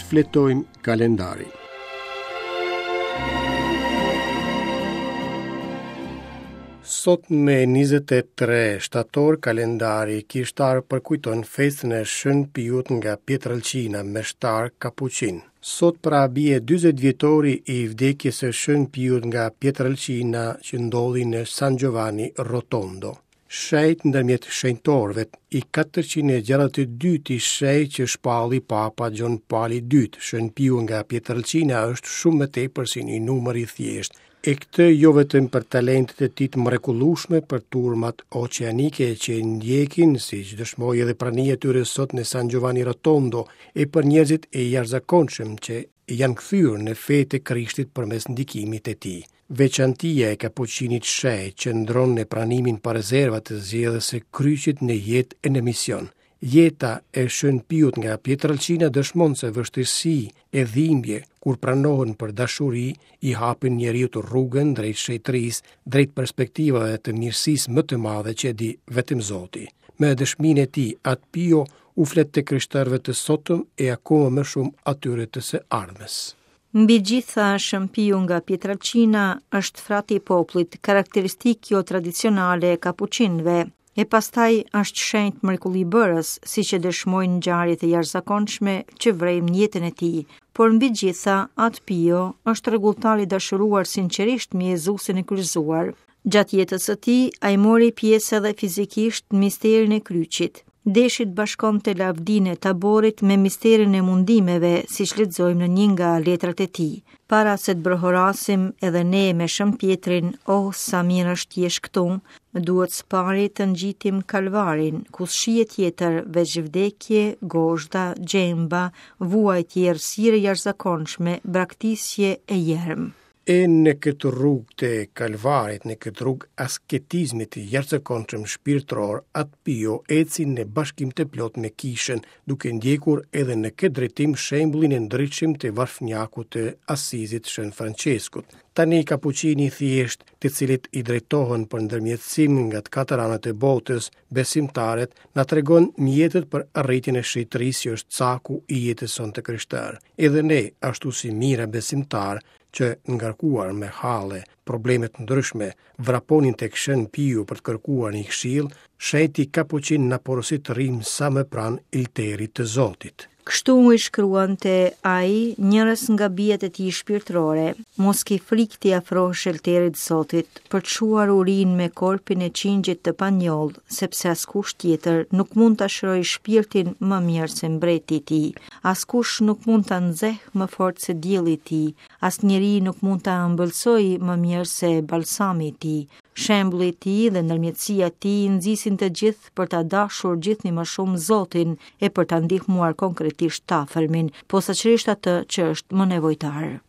Shfletojmë kalendarin. Sot me 23 shtator kalendari kishtar përkujton festën e Shën Piut nga Pietrelcina, meshtar kapuçin. Sot pra bie 40 vjetori i vdekjes së Shën Piut nga Pietrelcina që ndodhi në San Giovanni Rotondo. Shenjt ndërmjet shenjtorëve, i 462-ti shenjt që shpalli Papa Gjon Pali II, Shën Piu nga Pietrelcina është shumë më tepër se një numër i thjeshtë. E këtë jo vetëm për talentet e tij të mrekullueshme për turmat oqeanike që e ndjekin, siç dëshmoi edhe prania e tyre sot në San Giovanni Rotondo, e për njerëzit e jashtëzakonshëm që janë kthyer në fe të Krishtit përmes ndikimit të tij. Veçantia e kapuçinit shenjt qëndron në pranimin pa rezerva të zgjedhjes së kryqit në jetë e në mision. Jeta e Shën Piut nga Pietrelcina dëshmon se vështirësi e dhimbje, kur pranohen për dashuri, i hapin njeriut rrugën drejt shenjtërisë, drejt perspektivave të mirësisë më të madhe që e di vetëm Zoti. Me dëshminë e tij, Atë Pio u flet të krishterëve të sotëm e akoma më shumë atyre të së ardhmes. Mbi gjitha, Shën Piu nga Pietrelcina është frati i popullit, karakteristikë kjo tradicionale e kapuçinëve. E pastaj është shenjt mrekullibërës, siç e dëshmojnë ngjarjet e jashtëzakonshme që vrejmë në jetën e tij. Por mbi gjitha, Atë Pio është rregulltar i dashuruar sinqerisht me Jezusin e kryqëzuar. Gjatë jetës së tij, ai mori pjesë edhe fizikisht në misterin e kryqit. Deshi të bashkonte lavdinë e taborit me misterin e mundimeve, siç lexojmë në një nga letrat e tij. Para se të brohorasim edhe ne me Shën Pjetrin, oh sa mirë është të jesh këtu, duhet së pari të ngjitim Kalvarin, ku s'shihet tjetër veç vdekje, gozhda, gjemba, vuajtje, errësirë e jashtëzakonshme, braktisje e jerm. E në këtë rrugë të Kalvarit, në këtë rrugë asketizmi të jashtëzakonshëm shpirtëror, Atë Pio eci në bashkim të plotë me Kishën, duke ndjekur edhe në këtë drejtim shembullin e ndritshëm të varfnjakut të Asizit Shën Françeskut. Tani kapuçini i thjeshtë, të cilit i drejtohen për ndërmjetësim nga të katër anët e botës, besimtarët, na tregon mjetet për arritjen e shenjtërisë që është caku i jetës sonë të krishterë. Edhe ne, ashtu si mijëra besimtarë, që ngarkuar me halle, probleme të ndryshme, vraponin tek Shën Piu për të kërkuar një këshillë, shenjti kapuçin na porosit të rrimë sa më pranë Oltarit të Zotit. Kështu i shkruante ai njërës nga bijat e tij shpirtërore, mos ki frikë t'i afrohesh Oltarit të Zotit, për të shuar urinë me korpin e qingjit të panjollë, sepse askush tjetër nuk mund ta shërojë shpirtin më mirë se mbreti i tij. Askush nuk mund ta nxehë më fort se dielli i tij, asnjeri nuk mund ta ëmbëlsojë më mirë se balsami i tij. Shembulli i tij dhe ndërmjetësia e tij nxisin të gjithë për ta dashur gjithnjë më shumë Zotin e për ta ndihmuar konkretisht të afërmin, posaçërisht atë që është më nevojtar.